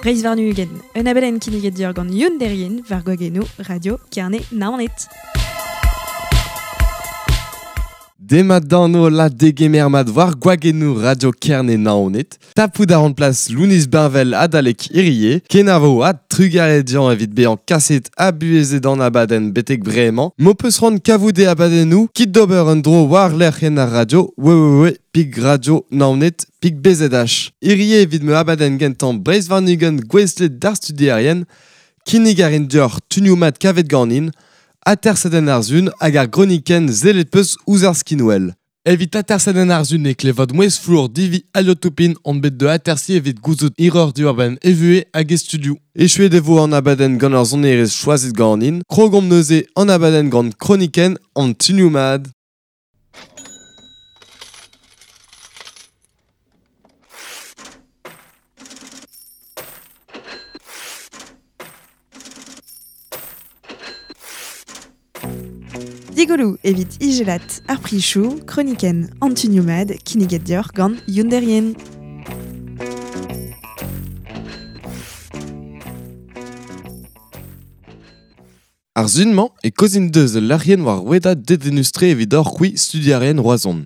Breiz warn-ugent, un abadenn kinniget deoc'h gant Youn Derrien war gwagennoù Radio Kerne Naoned. Demat d'an la degemer mat war gwagennoù Radio Kerne Naoned. Tapout a ran plas Lounis Benvel adalek Irie, kenavo ha trugarez dian evit bezañ kaset ha buhezet an abadenn betek bremañ. M'ho peus c'hoant kavout e abadennoù, kit d'ober un dro war lec'hienn ar radio www.pigradio.naoned.bzh. Irie evit ma abadenn gentañ Breizh warn-ugent gouestlet d'ar studierien, kinnig a rin deoc'h tunioù mat kavet ganin, atersadenn ar sun hag ar gronikenn sellet peus ouzh ar skinwel. Evit atersadenn ar sun e klevad mouezh flour divi Aliotopin on bet de atersi evit gouzout hiroc'h diwar-benn e vuhez hag e studioù. Echuet e vo an abadenn gant ar sonerezh choazet ganin, krogomp neuze an abadenn gant kronikenn an tunioù mat. Digoloù evit ijelat ar prichoù, kronikenn an tunioù mat kinniget deoc'h gant Youn Derrien. Ar sun-mañ e kozin deus ul lec'hienn war rouedad dedennus-tre evit hoc'h c'hwi studierien Roazhon.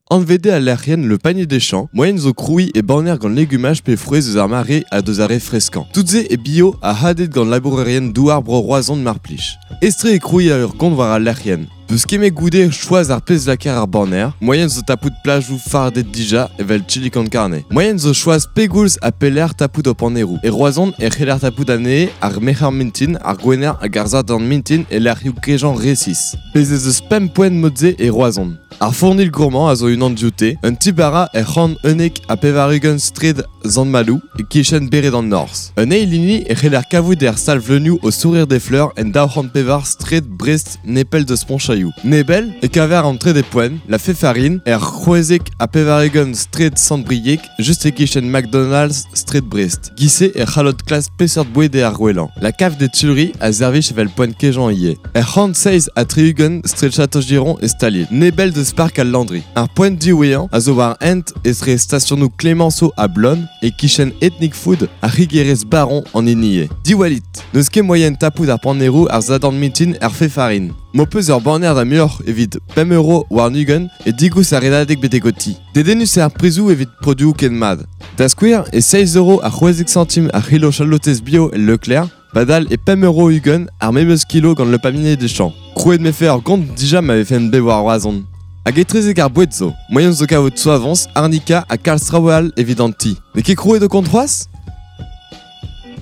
Anvet eo al lec'hienn Le Panier des Champs, moaien zo krouiñ e banner gant legumaj pe frouezh eus ar mare ha deus ar re freskañ. Tout-se e bio ha hadet gant labourerien douar bro Roazhon mar plij. Aes-tre eo krouiñ ur gont war al lec'hienn. Peus ket goude choaz ar pezh lakaer ar banner, moaien zo tapout plajoù fardet dija evel chili con carne. Moaien zo choaz pegoulz ha pelec'h tapout ho panneroù. E Roazhon e c'heller tapout anezhe ar merc'her mintin, ar gwener hag ar sadorn mintin e lec'hioù kejañ resis. Bez ez eus pemp poent mod-se e Roazhon. Ar fournil gourmand a zo unan dioute, un ti-bara er 191 straed Sant-Maloù e-kichen bered an Norzh. Un eil hini e c'heller kavout er sal vleunioù o Sourire des Fleurs en 204 straed Brest nepell deus Pontchaillou. Nebell e kaver an trede poent, la Féfarine, er 96 straed Sant-Brieg, just e-kichen McDonald's straed Brest. Giz-se e c'hallot klask peseurt boued eo ar gwellañ. La cave des Tuileries a servij evel poent kejañ ivez. Er 137 straed Château-Giron e staliet. Nebell deus park al Landry. Ar poent diwezhañ a zo war hent etre stasionoù Clemenceau ha Blonne e-kichen Ethnic Food ar c'higerezh Baron an hini eo. Diwallit, n'eus ket moaien tapout ar panneroù ar sadorn mintin er Féfarine. M'ho peus ur banner da muioc'h evit 5 euro warn-ugent e digoust ar redadeg betek ho ti. Dedennus eo ar prizoù evit produoù ken mat. Da skouer, e 6 euro ha 16 santim ar c'hilo chalotez bio el Leclerc, padal e 5 euro ugent ar memes kilo gant Le Panier des Champs. Krouet me fe ur gont dija ma vefen bet war Roazhon. Hag etrezek ar boued zo, moaien zo kavout soavañs, arnika ha kalz traoù all evit an ti. N'eo ket krouet ho kont c'hoazh?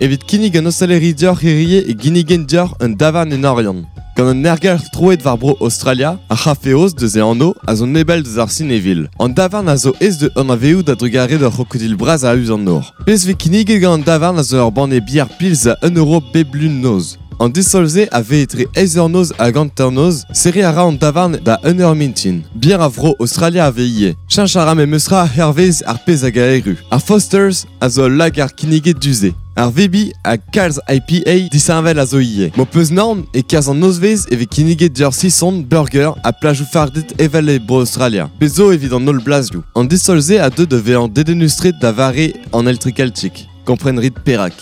Evit kinnig un ostaleri deoc'h hirie e ginnigen deoc'h un davarn en Oriant. Gant un aergelc'h troet war bro Aostralia, ar c'hafeoz deus e anv a zo nebell deus ar Sinevil. An davarn a zo aes da anavezout a-drugarez d'ur c'hrokodil bras a-us an nor. Pezh 'vez kinniget gant an davarn a zo ur banne bier pils a 1 euro bep lun noz. An distol-se a vez etre eizh eur noz hag hanternoz, serriñ a ra an davarn da un eur mintin. Bier a vro Aostralia a vez ivez. Cheñch a ra memestra hervez ar pezh hag a erru. Ar Fosters a zo ul lagar kinniget du-se. Ar VB ha kalz IPA disheñvel a zo ivez. M'ho peus naon e-kerzh an nozvezh e vez kinniget deoc'h sison, burger ha plajoù fardet evel e Bro-Aostralia. Pezh zo evit an holl blazioù. An distol-se a deu da vezañ dedennus-tre da vare an Eltrikeltiek. Kompren 'rit perak.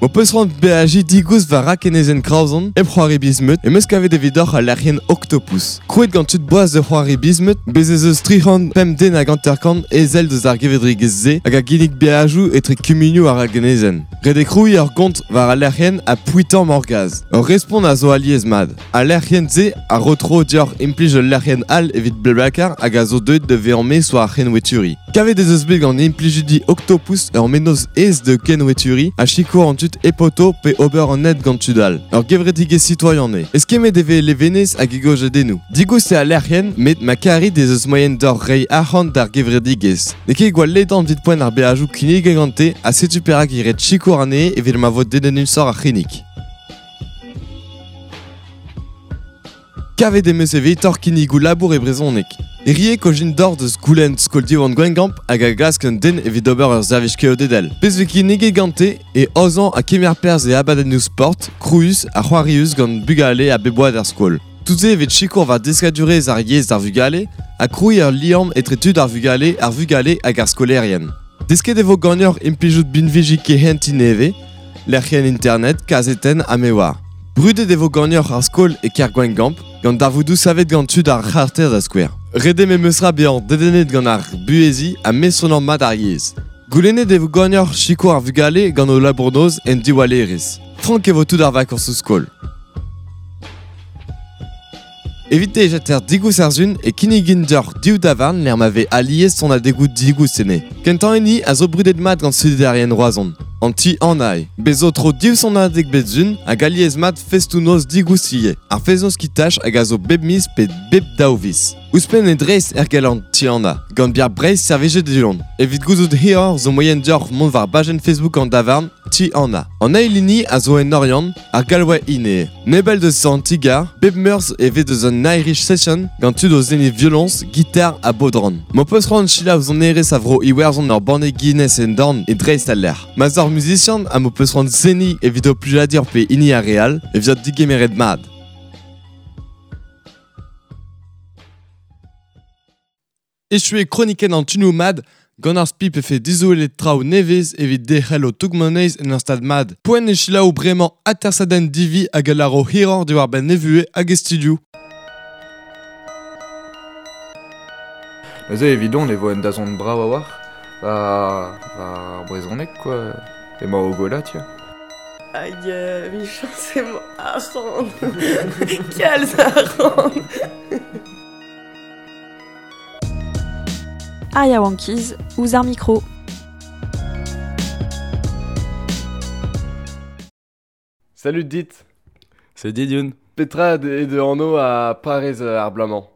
M'ho peus c'hoant beajiñ digoust war rakenezenn Kraozon hep c'hoari biz-meud em eus kavet evidoc'h al lec'hienn Octopus. Krouet gant tud boas da c'hoari biz-meud, bez' ez eus 305 den hag 50 ezel deus ar gevredigezh-se hag a ginnig beajoù etre kumunioù ar ragenezenn. Ret eo krouiñ ur gont war al lec'hienn ha pouitañ morgaz. Ur respont a zo alies-mat. Al lec'hienn-se a ro tro deoc'h implij ul lec'hienn all evit BlaBlaCar hag a zo deuet da vezañ maez war ar c'henweturiñ. Kavet ez eus bet gant implijidi Octopus ur mennozh aes da kenweturiñ ha sikour an tud hep oto pe ober an hent gant tud all. Ur gevredigezh sitoaian eo. Eskemmet e vez levenez hag e gojadennoù. Digoust eo al lec'hienn met ma karit ez eus moaien deoc'h reiñ arc'hant d'ar gevredigezh. N'eo ket gwall ledan evit poent ar beajoù kinniget gante ha setu perak eo ret sikour anezhe evit ma vo dedennusoc'h ar c'hinnig. Kavet em eus evitoc'h kinnigoù labour e brezhoneg. Hirie ojin dor deus goulenn skol Diwan Gwengamp hag a glask un den evit ober ur servij keodedel. Pezh 'vez kinniget gante e aozañ ha kemer perzh e abadennoù sport, krouus ha c'hoarius gant bugale a bep oad er skol. Tout-se evit sikour war deskadurezh ar yezh d'ar vugale ha krouiñ ur liamm etre tud ar vugale, ar vugale hag ar skolaerien. Desket e vo ganeoc'h implijout binviji kehentiñ nevez, lec'hienn internet, kazetenn ha me oar. Brudet e vo ganeoc'h ar skol e kêr Gwengamp, gant darvoudoù savet gant tud ar c'harter da skouer. Ret eo memes tra bezañ dedennet gant ar buheziñ ha mestroniañ mat ar yezh. Goulennet e vo ganeoc'h sikour ar vugale gant o labour-noz en diwallerezh. Frank e vo tout ar vakañsoù skol. Evit dejater digoust ar sun e kinnigin deoc'h div davarn lec'h ma vez alies sonadegoù digoust enne. Kentañ hini a zo brudet mat gant studerien Roazhon, an ti Anae. Bez zo tro div sonadeg bep sun hag alies mat festoù-noz digoust ivez. Ar fest-noz kitach hag a zo bep miz pe bep daou viz. Ouzhpenn e dreist ergel an ti Anna, gant bier Breizh servijet du-hont. Evit gouzout hiroc'h zo moaien deoc'h mont war bajenn Facebook an davarn Ti Anna. An eil hini a zo en Oriant, ar Galway Inn eo. Nebell deus an ti-gar, bep meurzh e vez deus un Irish Session gant tud o seniñ violoñs, gitar ha bodran. M'ho peus c'hoant selaou sonerezh a vro Iwerzhon ur banne Guinness en dorn e dreist al lec'h. Ma 'z oc'h muzisian ha m'ho peus c'hoant seniñ evit ho plijadur pe hini ar re all, e viot digemeret mat. Echu eo kronikenn an tunoù mat gant ar spi pefe dizolet traoù nevez evit derc'hel ho toug-moneiz en ur stad mat. Poent eo selaou bremañ atersadenn Divi hag a lâro hiroc'h diwar-benn e vuhez hag e studioù. Neuze evidon e vo un dazont brav a-walc'h war ar brezhoneg quoi. Emañ o gwellañ tiens. Hag emichañs emañ arc'hant. Kalz arc'hant. Ar yaouankiz ouzh ar mikro. Salut dit. Salut dit Youn. Petra eo da anv ha parrez ar bloaz-mañ?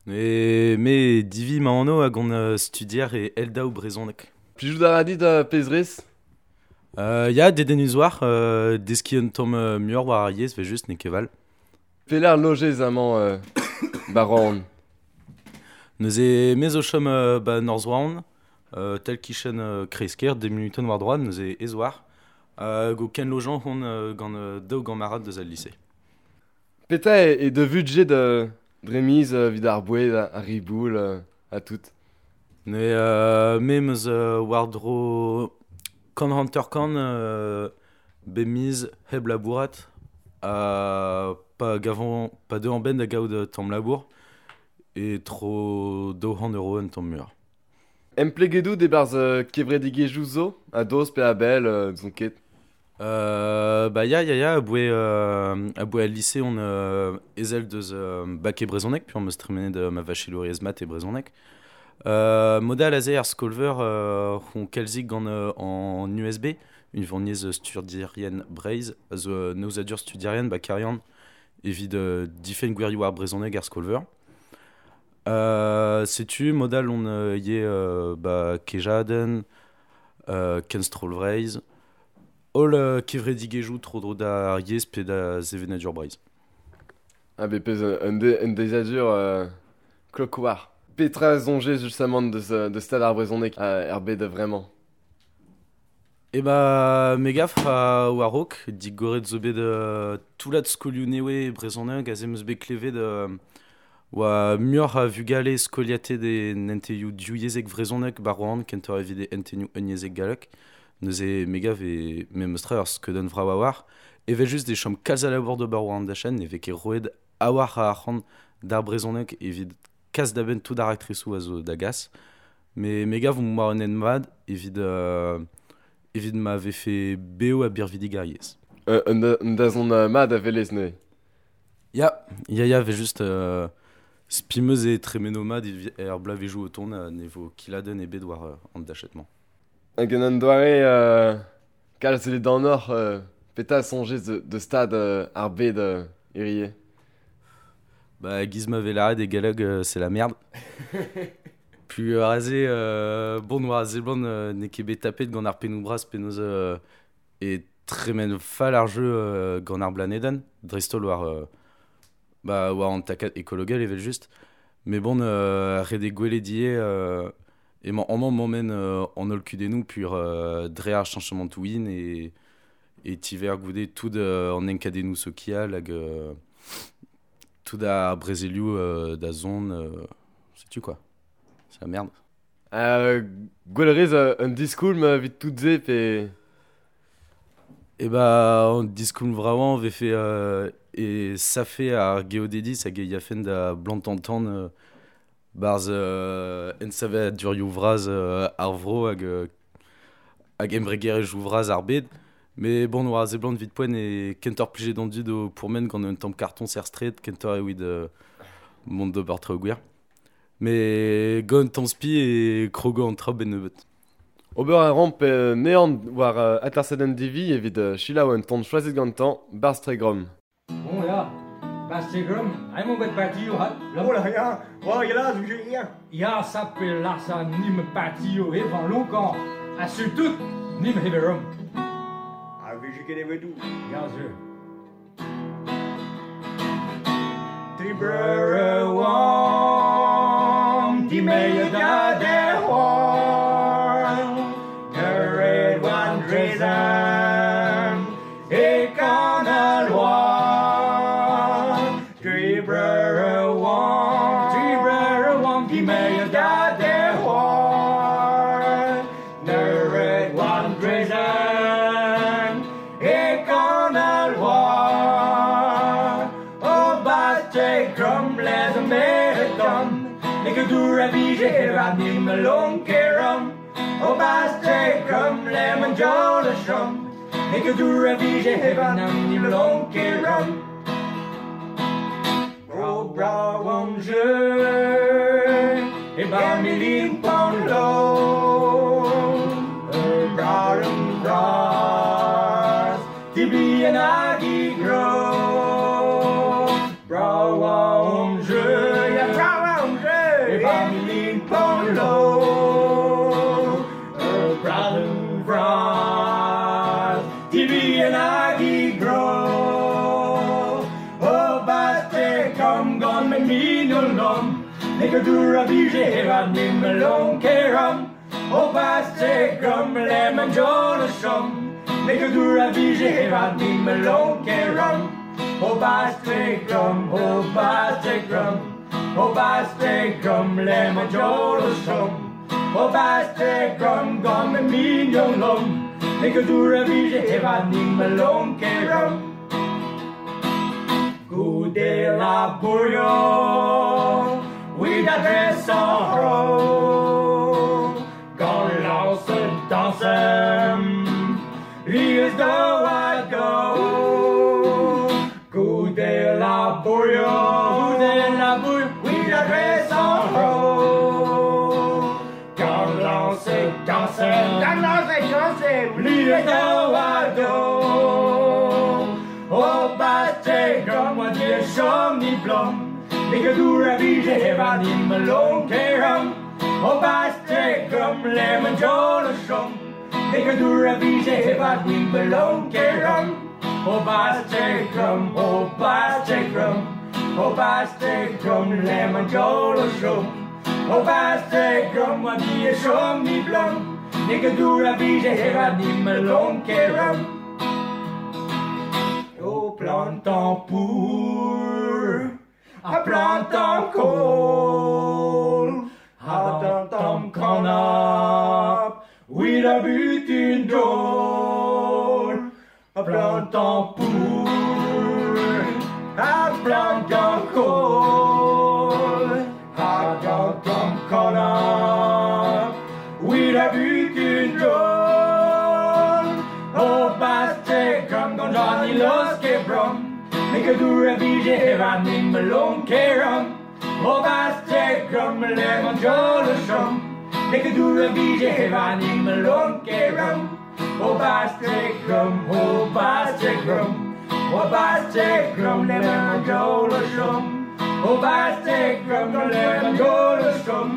E me Divi ma anv hag on studier e Eldaou brezhoneg. Plijout a ra dit pezh rez? Ya, dedennus war, deskiñ un tamm muioc'h war ar yezh, 'vel-just, n'eo ket val. Pelec'h lojez amañ 'ba Roazhon? Neuze me zo chom 'ba Norzh Roazhon, tal-kichen kreiz-kêr, dek munutenn war-droad, neuze ez oar. Hag o kenlojañ on gant daou gamarad deus al lise. Petra eo da vudjed dre miz evit ar boued, ar riboul ha tout? Neuze me 'm eus war-dro 150 bep miz hep labourat ha pa gavan pa deuan benn da gaout tamm labour e tro 200 euro un tamm muioc'h. Empleget out e-barzh kevredigezhioù zo, a-dost pe a-bell, n'ouzon ket. Bah ya, ya, ya, aboe, aboe al lise on ezel deus bak e brezhoneg, puis am eus tremenet ma vachelouriezh mat e brezhoneg. Mod all aze er skol-veur on kalzik gant an USB, unvaniezh studierien Breizh, a zo un aozadur studierien ba Karian evit difenn gwirioù ar brezhoneg er skol-veur. Setu mod all on ivez ba kejadenn, kenstroll Vreizh, holl kevredigezhioù tro-dro d'ar yezh pe da sevenadur Breizh. Ah bepez un deiziadur klok war. Petra soñjez justement deus deus stad ar brezhoneg er bed a-vremañ? Eh ba me gav war-raok, digoret zo bet toullad skolioù nevez brezhoneg aze 'm eus bet klevet oa muioc'h a vugale skoliatet en hentennoù divyezhek vrezhonek 'ba Roazhon kentoc'h evit hentennoù unyezhek gallek. Neuze me gav e memes tra ur skeudenn vrav a-walc'h. Evel-just e chom kalz a labour d'ober war an dachenn, ne vez ket roet a-walc'h a arc'hant d'ar brezhoneg evit kas da benn tout ar raktresoù a zo da gas. Met me gav omp war un hent mat evit evit ma vefe bev ha birvidik ar yezh. Un dazont mat a welez neuze? Ya, ya, ya, evel-just spi 'm eus e tremeno mat er bloavezhioù o tont ha ne vo kiladenn ebet war an dachenn-mañ. Hag en un doare kalz ledanoc'h, petra soñjez de stad ar bed hirie? Bah, giz ma vez lâret e galleg, c'est la merde. Puis aze, bon, war a seblant n'eo ket bet tapet gant ar pennoù bras penaos e tremen fall ar jeu gant ar blanedenn, dreist-holl war, bah, war an takad ekologel evel-just. Met bon, ret eo gwelet ivez emañ amañ mammenn an holl kudennoù pur dre ar cheñchamantoù hin e tiver goude tout an enkadennoù sokial hag tout ar brezelioù da zont, setu quoi. C'est la merde. Gwell rez un diskoulm evit tout se pe... E ba, an diskoulm vraouan vefe e safe ar geodediz hag e yafen da blantantan barz ensave durioù vraz ar vro hag hag embregerezh vraz ar bed. Mais bon, war ze blant vit poen e kentor plijet an dud o pourmen gant un tamm karton ser stret, kentor ewid mont d'ober traoù gwir. Mais gant tamm spi e krogo an traoù ben nebeut. Ober a ramp neant war atersadenn divi evit selaou un ton choazet gantañ Barzh Tregrom. Bon ya, Barzh Tregrom, emañ bet partio hat. Oh là ya, oh ya là, ya. Ya, ça pe larsa nim partio evan lonkan, ha surtout nim heverom. Ah, vije ket evedou. Ya, ze. Tri breur oan, di meie da der oan, Red one drazen, e kan al oan. Tri breur oan, di meie da der oan, Red one drazen, e kan al oan. O baste krom les a meredom, Nik a dŵr a vije a nim a long kerom. O baste krom lemon jola shum, Nik a dŵr a vije a nim a long kerom. O braw om jeu, e ba mi lin pon lo. E braw om bras, ti bi an agi gro. Braw om jeu, ya braw om jeu, e ba mi lin pon lo. E braw om bras, ti bi an agi gro. O baste kom gant me minon lom, Nik a dŵr a vije a nim a long kerom. O baste grom lemon jola shum, Nik a dŵr a vije a nim a long kerom. O baste grom, o baste grom, o baste grom lemon jola shum. O baste grom gant me mignon lom, Nik a dŵr a vije a nim a long kerom. Goude la bourrio, we da dress en ro, gant lance dansem, lies do a go. Goude la bourrio, goude la bourrio, we da dress en ro, gant lance dansem, gant lance dansem, lies do a do. O baste grom wa dir shom ni blom, Nik a dŵr a vije a nim a long kerom. O baste grom lemon jola shum, Nik a dŵr a vije a nim a long kerom. O baste grom, o baste grom, o baste grom lemon jola shum. O baste grom wa dir shom ni blom, Nik a dŵr a vije a nim a long kerom. O plantan pour, a plantan kohl, a plantan kanap, with a butin dol. A plantan pour, a plantan kohl, a plantan kanap, with a butin dol. O baste grom gant Johnny Loske brom, Nik a dŵr a vije a nim a long kerom. O baste grom lemon jola shum, Nik a dŵr a vije a nim a long kerom. O baste grom, o baste grom, o baste grom lemon jola shum. O baste grom lemon jola shum,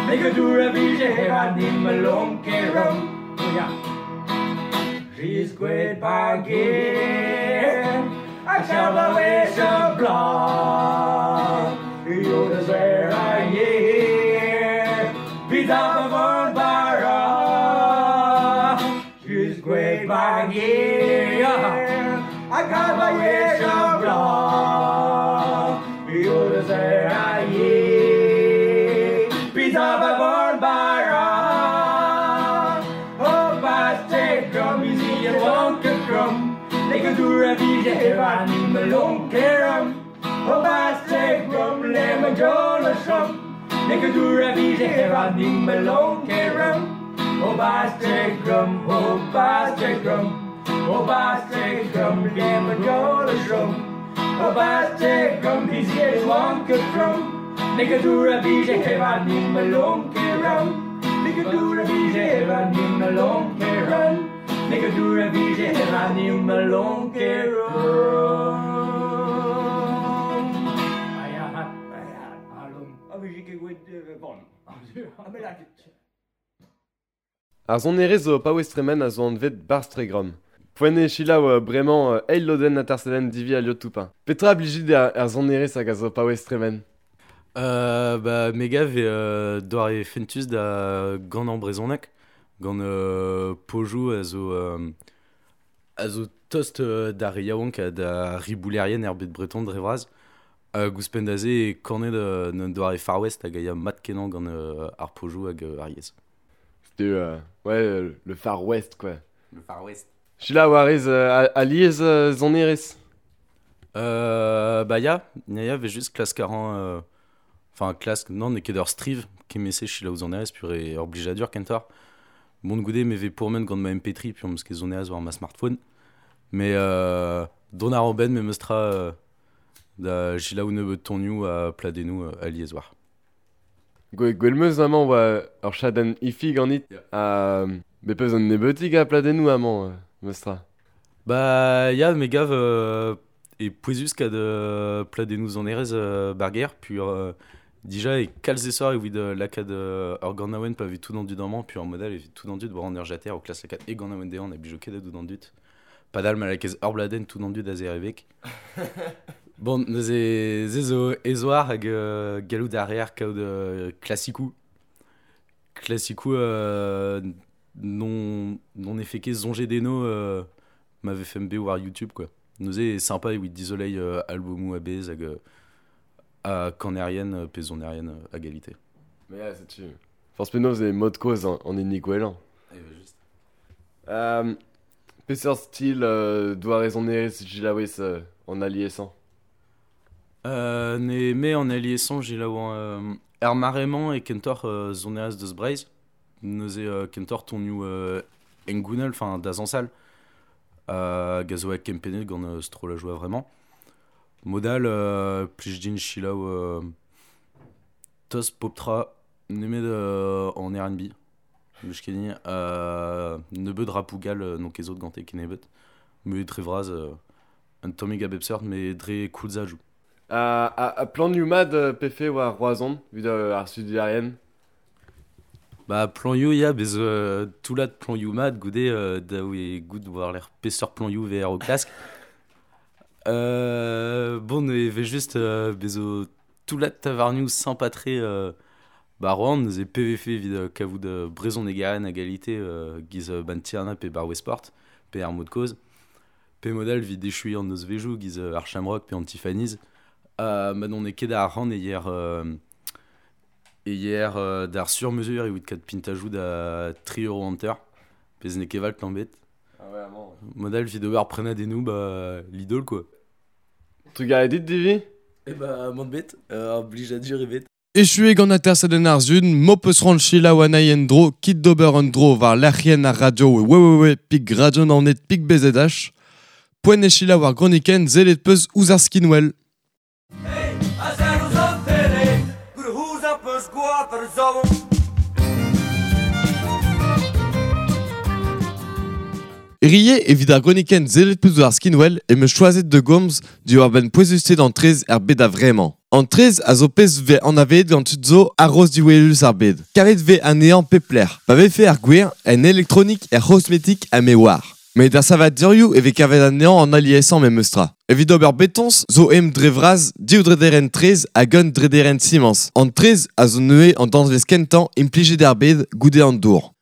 Nik a dŵr a vije a nim a long kerom. Oh yeah. She's great bargain, I shall wish a block. You deserve a year, pizza von bara. She's great bargain, I got my wish a block. You deserve a year, pizza von bara. lonkeram O bastegrom le ma jolashom Nekadura vije heva ning ma lonkeram O bastegrom, o bastegrom O bastegrom le ma jolashom O bastegrom vije wankatrom Nekadura vije heva ning ma lonkeram Nekadura vije heva ning ma lonkeram Nekadura vije heva ning ma lonkeram Ar sonerezh zo paouez tremen a zo anvet Barstregrom. Poent eo selaou bremañ eil lodenn atersadenn Divi a Liot-Toupin. Petra blijit er sonerezh hag a zo paouez tremen? Ba, me gav eo doare fentus da gant an brezhoneg, gant pojoù a zo tost d'ar re yaouank ha da riboulerien er bed breton dre vras. Ouzhpenn da se e kanet un doare Far West hag a ya mat kenañ gant ar pojoù hag ar yezh. C'était ouais, le Far West quoi. Le Far West. Selaou a rez alies sonerezh? Ba ya, ya vez just klask a ran... Enfin, klask, non, n'eo ket ur striv kemese selaou sonerezh pur e ur blijadur kentoc'h. Mont goude me vez pourmen gant ma MP3 puis on meus ket sonerezh war ma smartphone. Mais don ar ben me meus tra da selaou nebeut tonioù ha pladennoù alies war. Gwell meus amañ oa ur chadenn ifi ganit. Yeah. Bet peus un nebeutig a pladennoù amañ meus tra. Ba ya, me gav e pouezus kad pladennoù sonerezh barger pur dija e kalz esor evit lakaat ur ganaouenn pa vez tout an dud amañ pur model evit tout an dud war an ur jater o klas lakaat e ganaouenn dezhañ a blijo ket tout an dud. Padal ma lakez ur bladenn tout an dud a zerevek. Bon, neuze ze zo ezoar hag gallout a reer kaout klasikou. Klasikou non efe ket soñjet deno ma vefe bet war YouTube quoi. Neuze sympa evit dizoleiñ albomoù a-bezh hag a kanerien pe sonerien a galite. Mais ya, setu. Forzh penaos eo mod kozh an hini gwellañ. Eh ben juste. Peseurt stil doare sonerezh selaouez an aliesañ? Ne me an aliesañ selaouan er mare-mañ e kentoc'h sonerezh deus Breizh. Neuze kentoc'h tonioù hengounel, enfin da zañsal. Hag a zo kempennet gant strollajoù a-vremañ. Modal plij din selaou tost pop-tra nemet en R&B. Meus ket din nebeut rapoù gall n'on ket zot gante kennebeut. Me dre vras un tammig a bep seurt, mais dre koulzajoù. A planioù mat pefe war Roazhon, evit ar studiarien? Ba planioù ya, bez toullad planioù mat goude daou e goût war l'air peseurt planioù VR o klask. Bon, e vez just bezo toullad tavarnioù sympa-tre ba Rouen, neuze PVF evit kavout brezhonegaren a galite giz ban Tiana pe bar Westport, pe ar mod kozh. Pe model evit echuiñ an nozvezhioù giz ar Shamrock pe an Tiffany's. Ma n'on eo ket ar ran e hier d'ar sur-mesure evit kat pintajoù da 3 euro hanter, pezh n'eo ket val tamm bet. Ah ouais, amañ. Model evit ober prenadennoù ba Lidl quoi. Trugarez dit Divi? Eh ba mont bet, ur blijadur ebet. Echuet gant atersadenn ar zun, mo peus ran selaou anezhi en-dro, kit d'ober an dro war lec'hienn ar radio www.radionaoned.bzh. Poent eo selaou ar gronikenn sellet peus ouzh ar skinwel. Rie evit ar gronikenn sellet peus ouzh ar skinwel e meus choazet de gomz diwar benn pouezusted an traezh er bed a-vremañ. An traezh a zo pezh vez anavezet gant tud zo a-raoz diwelus ar bed. Karet vez anezhañ pep lec'h. Pa vefe ar gwir, en elektronik, er c'hosmetik ha me oar. Met ar savadurioù e vez kavet anezhañ an aliesañ memes tra. Evit ober betoñs zo em dre vras div drederenn traezh hag un drederenn simañs. An traezh a zo neuze an danvez kentañ implijet er bed goude an dour.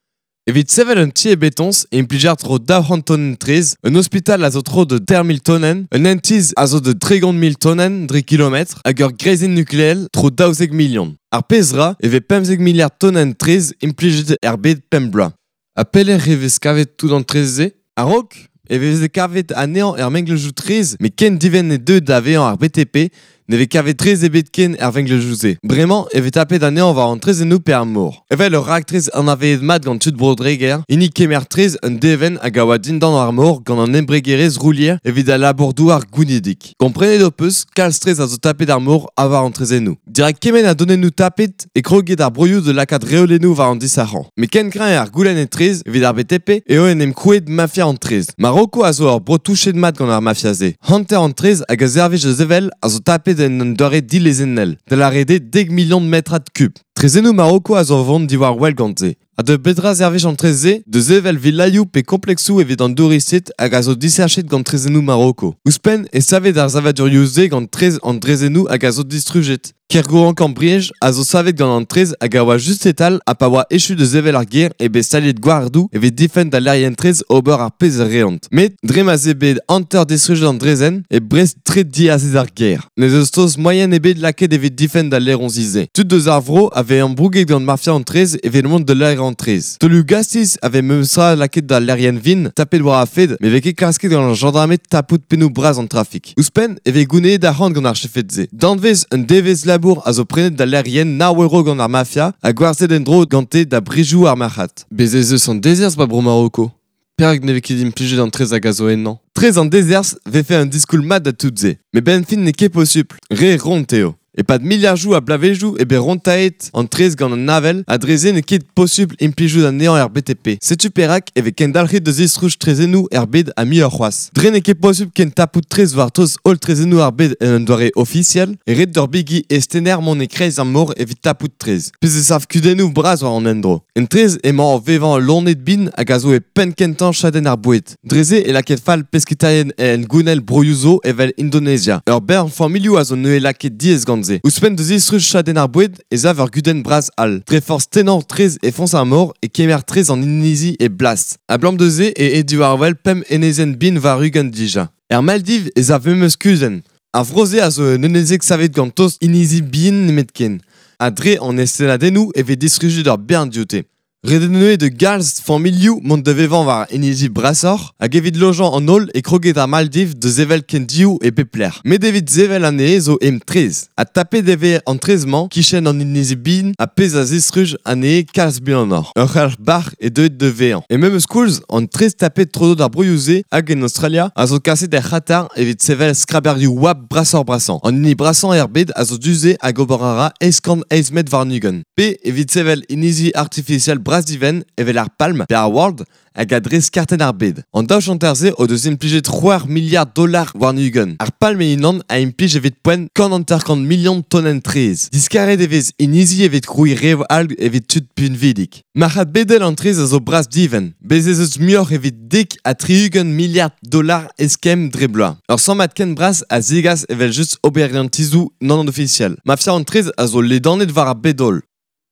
Evit sevel un ti e betoñs e implijer tro 200 tonenn traezh, un ospital a zo tro de 3 000 tonenn, un hent-tizh a zo de 30 000 tonenn dre kilometr hag ur greizenn nukleel tro 12 million. Ar pezh ra e vez 15 milliard tonenn traezh implijet er bed pemp bloaz. Ha pelec'h e vez kavet tout an traezh-se? A-raok E veze kavet anezhañ er mengleuzioù traezh, met ken divent e deuet da vezañ ar BTP, ne vez kavet traezh ebet ken er vengleuzioù-se. Bremañ e vez tapet anezhañ war an traezhennoù pe ar mor. Evel ur raktres anavezet mat gant tud Bro-Dreger, hini kemer traezh un devenn hag a oa dindan ar mor gant an embregerezh Roulier evit al labour-douar gounidik. Komprenet ho peus, kalz traezh a zo tapet ar mor ha war an traezhennoù. Dirak kement a donennoù tapet e kroget ar broioù da lakaat reolennoù war an disac'hañ. Met ken kreñv eo ar goulenn e traezh evit ar BTP eo en em krouet mafia an traezh. Maroko a zo ur bro touchet mat gant ar mafia-se. Hanter an traezh hag a servij da sevel a zo tapet en un doare dilezennel, da lâret eo 10 milion metrad kub. Traezhennoù Maroko a zo vont diwar wel gant-se. Ha da bedra servij an traezh-se? Da sevel villaioù pe kompleksoù evit an douristed hag a zo disachet gant traezhennoù Maroko. Ouzhpenn e savet ar savadurioù-se gant traezh an draezhennoù hag a zo distrujet. Kergourank Briej a zo savet gant an traezh hag a oa just e-tal ha pa oa echu da sevel ar gêr eo bet staliet gwardoù evit difenn da laerien traezh ober ar pezh a reont. Met dre ma 'z eo bet hanter distrujet an draezhenn e Brest tre diazez ar gêr. N'ez eus taos moaien ebet lakaet evit difenn da laeroñsi-se. Tud eus ar vro a vez ambrouget gant mafia an traezh evit mont da laerañ an traezh. Taolioù gastiz a vez memestra lakaet da laerien vin tapet war ar fed met vez ket klasket gant ar jañdarmed tapout pennoù bras an trafik. Ouzhpenn e vez gounezet arc'hant gant ar chefed-se. Danvez un devezh labour a zo prenet da laerien nav euro gant ar mafia ha gwerzhet en-dro gante da brizioù ar marc'had. Bez' ez eus an dezerzh 'ba bro Maroko. Perak ne vez ket implijet an traezh hag a zo ennañ? Traezh an dezerzh 'vefe un diskoulm mat da tout se. Met 'benn fin n'eo ket posupl. Re ront eo. E-pad miliadoù a bloavezhioù eo bet rontaet an traezh gant an avel ha dre-se n'eo ket posupl implijout anezhañ er BTP. Setu perak e vez kendalc'het da zistruj traezhennoù er bed ha muioc'h c'hoazh. Dre n'eo ket posupl ken tapout traezh war treuz holl traezhennoù ar bed en un doare ofisiel e ret d'ur bigi eztenner mont e-kreiz ar mor evit tapout traezh. Pezh e sav kudennoù bras war an endro. En traezh emañ o vevañ loened bin hag a zo e penn-kentañ chadenn ar boued. Dre-se e lakaet fall pesketaerien en gounell broioù zo evel Indonezia. Ur bern familhoù a zo neuze lakaet diaes gant se. Ouzhpenn da zistruj chadenn ar boued ez a ur gudenn bras all. Dre forzh tennañ traezh e foñs ar mor e kemer traezh an inizi e blas. Abalamour da se e eo diwar-wel pemp enezenn bin war-ugent dija. Er Maldiv ez a memes kuzenn. Ar vro-se a zo un enezeg savet gant tost inizi bihan nemetken. Ha dre an eztennadennoù e vez distrujet ur bern dioute. Ret eo neuze da galz familhoù mont da vevañ war inizi brasoc'h hag evit lojañ an holl e kroget ar Maldiv da sevel kendioù e pep lec'h. Met evit sevel anezhe zo emtraezh. Ha tapet e vez an traezh-mañ kichen an inizi bihan ha pezh a zistruj anezhe kalz buanoc'h. Ur c'helc'h bac'h eo deuet da vezañ. E memes koulz, an traezh tapet tro-dro d'ar broioù-se hag en Aostralia a zo kaset er C'hatar evit sevel skraberioù oabl brasoc'h-brasañ. An hini brasañ er bed a zo du-se hag ober a ra 808 metr warn-ugent. Pe evit sevel inizi artifisiel bras-divent evel ar Palm pe ar World hag a dres kartenn ar bed. An daou chanter-se o deus implijet c'hwec'h miliard dollar warn-ugent. Ar Palm e-unan a implij evit poent 150 milion tonenn traezh. Diskaret e vez inizi evit krouiñ rev all evit tud pinvidik. Marc'had bedel an traezh a zo bras-divent. Bez' ez eus muioc'h evit 70 miliard dollar eskemm dre bloaz. Ur sammad ken bras a zegas evel-just oberiantizoù nann-ofisiel. Mafia an traezh a zo ledanet war ar bed-holl.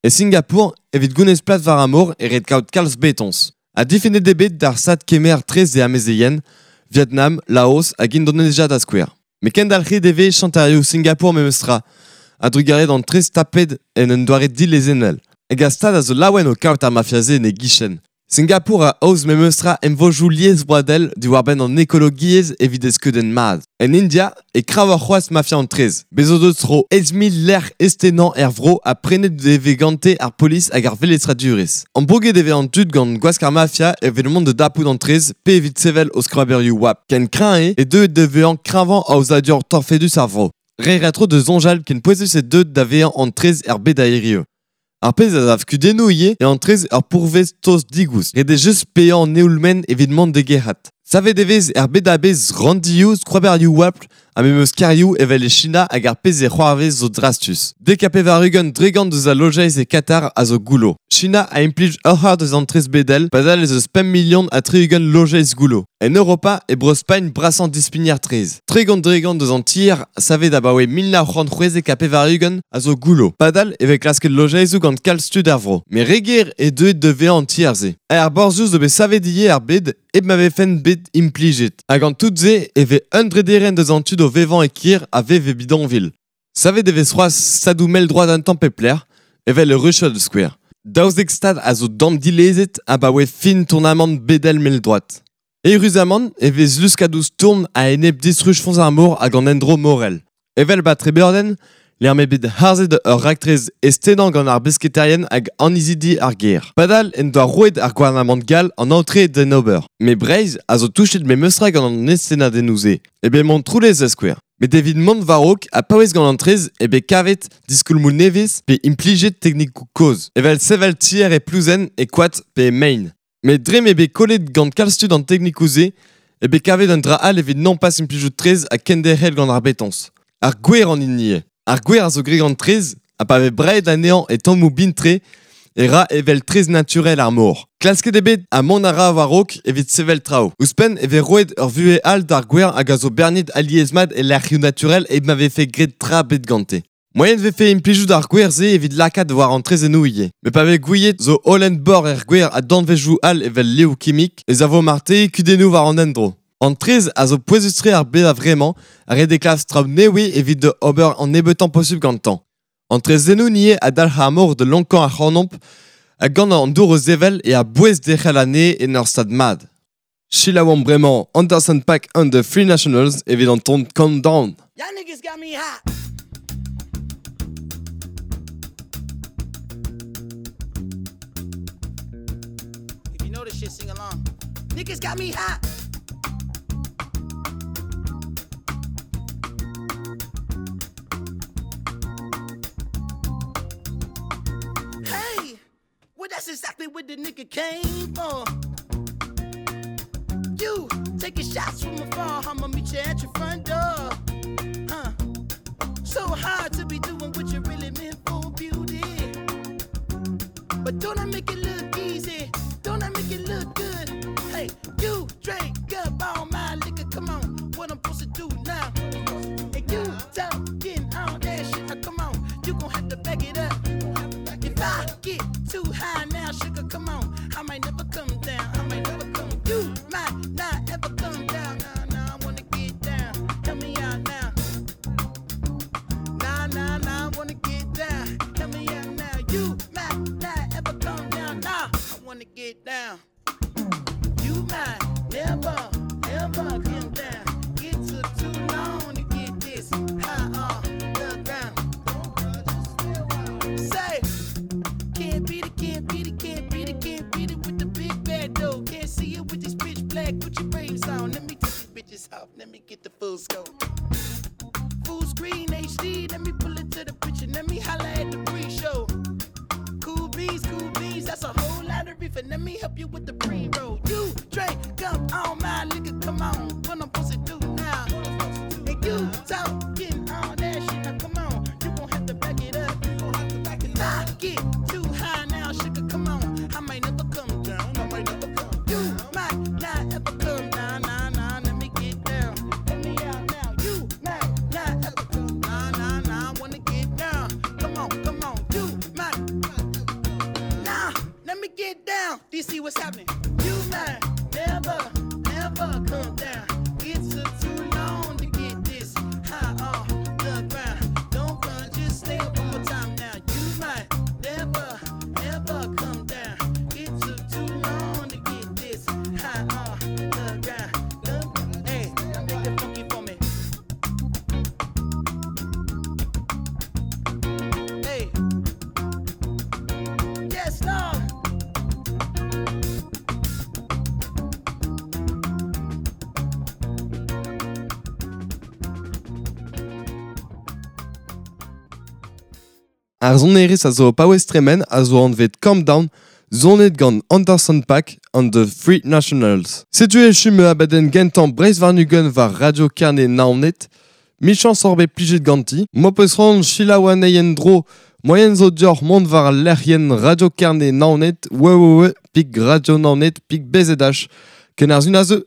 E Singapour, evit gounez plas war ar mor e ret kaout kalz betoñs. Ha difennet eo bet d'ar stad kemer traezh e amezeien, Vietnam, Laos hag Indonezia da skouer. Met kendalc'het e vez chanterioù Singapour memestra, a-drugarez d'an traezh tapet en un doare dilezennel. Hag ar stad a zo laouen o kaout ar mafia-se en e gichen. Singapour a aoz memestra emvodoù liesvroadel diwar-benn an ekologiezh evit e skeudenn mat. En India e kravoc'h c'hoazh mafia an traezh. Bez' o deus tro 8 000 lec'h eztennañ er vro ha prenet e vez gante ar polis hag ar velestradurezh. Ambrouget e vez an tud gant gwask ar mafia evit mont da dapout an traezh pe evit sevel o skraberioù oabl. Ken kreñv eo e deuet da vezañ kreñvañ aozadur torfedus ar vro. Reiñ a ra tro da soñjal ken pouezus eo deuet da vezañ an traezh er bed a hiriv. Ar pezh a sav kudennoù ivez eo an traezh ur pourvez tost digoust. Ret eo just paeañ an eoul-maen evit mont d'e gerc'hat. Savet e vez er bed a-bezh ranndioù, skraberioù oabl ha memes kêrioù evel e China hag ar pezh e c'hoarvez zo drastus. 90% deus al lojeiz e Katar a zo goullo. China a implij ur c'hard eus an traezh bedel padal ez eus 5 030 000 lojeiz goullo. En Europa e Bro-Spagn brasañ dispigner traezh. 30% deus an tier savet abaoe 1996 a zo goullo. Padal e vez klasket lojeizoù gant kalz tud er vro. Met re ger eo deuet da vezañ an tier-se. Ar borzhioù zo bet savet ivez er bed hep ma vefent bet implijet. Hag an tout-se e vez un drederenn deus an tud o vevañ e kêr a vev e bidonville. Savet e vez c'hoazh stadoù mell-droad un tamm pep lec'h, evel e Russia da skouer. 12 stad a zo damdilezet abaoe fin tournamant bedel mell-droad. Eüruzamant e vez luskadoù stourm a-enep distruj foñs ar mor hag an endro morel. Evel ba Trebeurden, lec'h m'eo bet harzet ur raktres eztennañ gant ar besketerien hag annezidi ar gêr. Padal en doa roet ar gouarnamant gall an aotre d'en ober. Met Breizh a zo touchet memestra gant an eztennadennoù-se. E bet Montroulez da skouer. Met evit mont war-raok ha paouez gant an traezh eo bet kavet diskoulmoù nevez pe implijet teknikoù kozh, evel sevel tier e plouzenn, e koad pe e mein. Met dre m'eo bet kollet gant kalz tud an teknikoù-se eo bet kavet un dra all evit nompas implijout traezh ha kenderc'hel gant ar betoñs. Ar gwer an hini eo. Ar gwer a zo graet gant traezh ha pa vez braet anezhañ e tammoù bin-tre e ra evel traezh naturel ar mor. Klasket eo bet ha mont a ra war-raok evit sevel traoù. Ouzhpenn e vez roet ur vuhez all d'ar gwer hag a zo berniet alies-mat e lec'hioù naturel hep ma vefe graet tra ebet gante. Moaien 'vefe implijout ar gwer-se evit lakaat war an traezhennoù ivez. Met pa vez gouiet zo holen bor er gwer ha danvezioù all evel liv kimik ez a vo marteze kudennoù war an endro. An traezh a zo pouezus-tre ar bed a-vremañ ha ret eo klask traoù nevez evit ober an nebeutañ posupl gantañ. An traezhennoù ivez a dalc'h ar mor da lonkañ ac'hanomp ha gant an dour o sevel eo a-bouez derc'hel anezhe en ur stad mat. Selaouomp bremañ Anderson .Paak and the Free Nationals evit an ton Calm Down. Y'all niggas got me hot. If you know this shit, sing along. Niggas got me hot. Hey, well that's exactly what the nigga came for. You taking shots from afar, I'ma meet you at your front door. Huh? So hard to be doing what you really meant for, beauty. But don't I make it look easy? Don't I make it look good? Hey, you drink up all my liquor, come on. What I'm supposed to do now? And you talking all that shit, now come on. You gon' have to back it up. If I get too high now, sugar, come on. I might never come down. I might never come. You might not ever come down. Nah, nah, I wanna get down. Help me out now. Nah, nah, nah, I wanna get down. Help me out now. You might not ever come down. Nah, I wanna get down. You might never, ever come down. It took too long to get this high off the ground. Say, can't beat it, can't beat it, can't beat it, can't beat it with the big bad dough. Can't see it with this pitch black. Put your frames on. Let me take these bitches off. Let me get the full scope. Full screen HD. Let me pull it to the picture. Let me holla at the pre-show. Cool beans, that's a whole lot of reefer. Let me help you with the pre-roll. You drink up all my liquor, come on. What I'm supposed to do now? And you talking all that shit, now come on. You gon' have to back it up. If I get too high now, sugar, come on. I might never come down. I might never come. You might not ever come down. Nah, nah, let me get down. Let me out now. You might not ever come. Nah, nah, nah, I wanna get down. Come on, come on. You might. Nah, let me get down. Do you see what's happening? You might never, ever come down. It took too long to get this high off the ground. Don't run, just stay up one more time now. You might never, ever come down. It took too long to get this high off the ground. Don't, hey, now make it funky for me. Hey, yes, Lord. Ar sonerezh a zo o paouez tremen a zo anvet Calm Down, sonet gant Anderson .Paak and the Free Nationals. Setu echu ma abadenn gentañ Breizh warn-ugent war Radio Kerne Naoned. Michañs oc'h bet plijet ganti. M'ho peus c'hoant selaou anezhi en-dro moaien zo deoc'h mont war al lec'hienn Radio Kerne Naoned www.radionaoned.bzh. Ken ar sun a zeu.